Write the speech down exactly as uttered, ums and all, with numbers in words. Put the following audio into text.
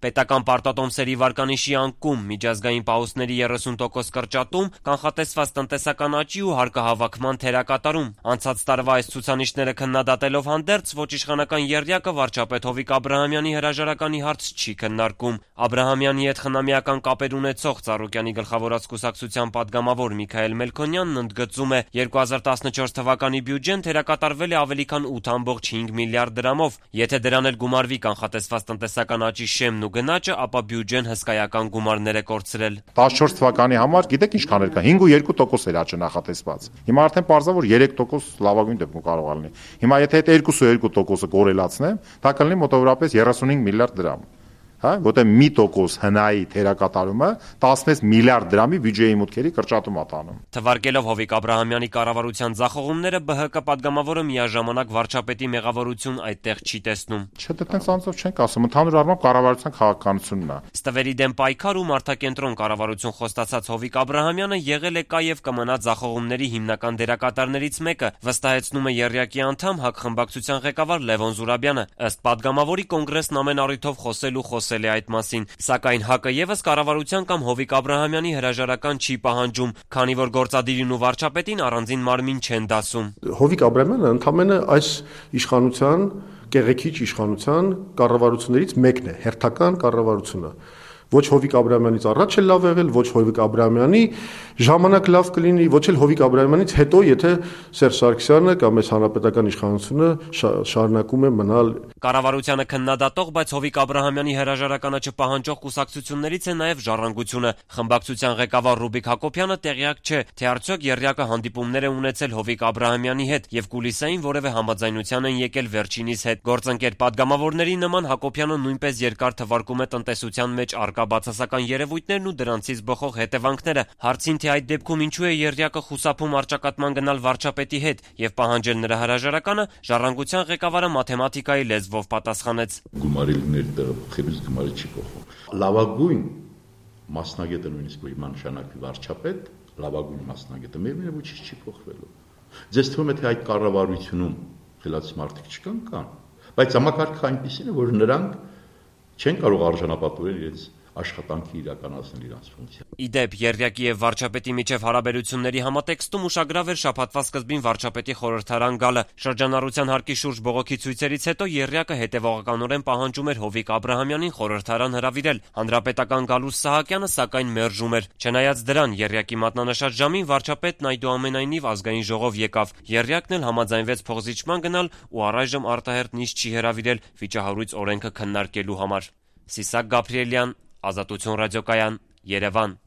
Պետական պարտատոմսերի վարկանիշի անկում, միջազգային պահուստների երեսուն տոկոս կրճատում, կանխատեսված տնտեսական աճի ու հարկահավաքման թերակատարում։ Անցած տարվա այս ցուցանիշները քննադատելով հանդերձ, ոչ իշխանական եռյակը վարչապետ Հովիկ Աբրահամյանի հրաժարականի հարց չի քննարկում։ Աբրահամյանի հետ խնամիական կապեր ունեցող Ծառուկյանի գլխավորած կուսակցության պատգամավոր Միքայել Մելքոնյանն ընդգծում է, երկու հազար տասնչորս թվականի բյուջեն թերակատարվել է ավելի քան ութ կόμma հինգ միլիարդ դրամով։ Եթե դրան էլ գումարվի կանխատեսված տնտեսական աճի շեմն ու գնաճը, ապա բյուջեն հսկայական գումարներ է կորցրել։ տասնչորս թվականի համար գիտեք ինչքան էր կա, հինգ կόμma երկու տոկոս էր աճը նախատեսված։ Հիմա արդեն պարզա որ երեք տոկոս լավագույն դեպքում կարող է լինի։ Հիմա եթե այդ երկու կόμma երկու տոկոսը կորելացնեմ, դա կլինի մոտավորապես երեսունհինգ միլիարդ դրամ։ Հա, որտեղ մի տոկոս հնայի թերակատարումը տասնվեց միլիարդ դրամի բյուջեի մուտքերի կրճատում է տանում։ Թվարկելով Հովիկ Աբրահամյանի կառավարության ձախողումները, Բ Հ Կ պատգամավորը միաժամանակ վարչապետի մեղավորություն այդտեղ չի տեսնում։ Չէ, դա տենց անձով չենք ասում, ընդհանուր առմամբ կառավարության քաղաքականությունն է։ Ստվերի դեմ պայքար ու մարդակենտրոն կառավարություն խոստացած Հովիկ Աբրահամյանը եղել է կա եւ կմնա ձախողումների հիմնական դերակատարներից մեկը, վստահեցնում է եռյակի անդամ ՀԱԿ խմբակցության ղեկավար Լևոն Զուրաբյանը։ Ըստ պատգամավորի, կոնգրեսն ամեն առիթով խոսել ու խոսել է այդ մասին, սակայն ՀԱԿ-ը եւս կառավարության կամ Հովիկ Աբրահամյանի հրաժարական չի պահանջում, քանի որ գործադիրին ու վարչապետին առանձին մարմին չեն դասում։ Հովիկ Աբրահամյանը ընդամենը այս իշխանության, կեղեքիչ իշխանության կառավարություններից մեկն է, հերթական կառավարությունը։ Ոչ Հովիկ Աբրահամյանից առաջ է լավ եղել, ոչ Հովիկ Աբրահամյանի ժամանակ լավ կլինի, ոչ էլ Հովիկ Աբրահամյանից հետո, եթե Սերժ Սարգսյանը կամ այս հանրապետական իշխանությունը շարունակում է մնալ։ Կառավարությանը քննադատող, բայց Հովիկ Աբրահամյանի հրաժարականը չպահանջող կուսակցություններից է նաև Ժառանգությունը։ Խմբակցության ղեկավար Ռուբիկ Հակոբյանը տեղյակ չէ, թե արդյոք եռյակը հանդիպումներ է ունեցել Հովիկ Աբրահամյանի հետ եւ կուլիսային որևէ համաձայնության են եկել վերջինիս հետ։ Գործընկեր պատգամավորների նման Հակոբյանը նույնպես երկար թվարկում է տնտեսության մեջ առկա բացասական երևույթներն ու դրանցից բխող հետևանքները։ Հարցին, թե այդ դեպքում ինչու է եռյակը խուսափում առճակատման գնալ վարչապետի հետ եւ պահանջել նրա հրաժարականը, Ժառանգության ղեկավարը մաթեմատիկայի լեզվով պատասխանեց. Գումարի լիներ տեղը փոխելուց գումարը չի փոխվում։ Լավագույն մասնագետը նույնիսկ որ իման նշանակվի վարչապետ, լավագույն մասնագետը միևնույն է ոչինչ չի փոխվելու։ Ձեզ թվում է թե այդ կառավարությունում խելացի մարդիկ չկան կան, բայց համակարգը այնպեսին է, որ նրանք չեն կարող արժանապատվել իրենց աշխատանքի իրականացնել իրենց ֆունկցիա։ Իդեպ, եռյակի եւ վարչապետի միջև հարաբերությունների համատեքստում ուշագրավ էր շաբաթվա սկզբին վարչապետի խորհրդարան գալը։ Շրջանառության հարկի շուրջ բողոքի ցույցերից հետո եռյակը հետևողականորեն պահանջում էր Հովիկ Աբրահամյանին խորհրդարան հրավիրել։ Հանրապետական Գալուստ Սահակյանը սակայն մերժում էր։ Չնայած դրան, եռյակի մատնանշած ժամին վարչապետն այդուամենայնիվ ազգային ժողով եկավ։ Եռյակն էլ համաձայնվեց փոխզիջման գնալ ու առայժմ արտահերթ նիստ չի հրավիրել վիճահարույց օրենքը քննարկելու համար։ Սիսակ Գաբրիելյան, Ազատություն ռադիոկայան, Երևան։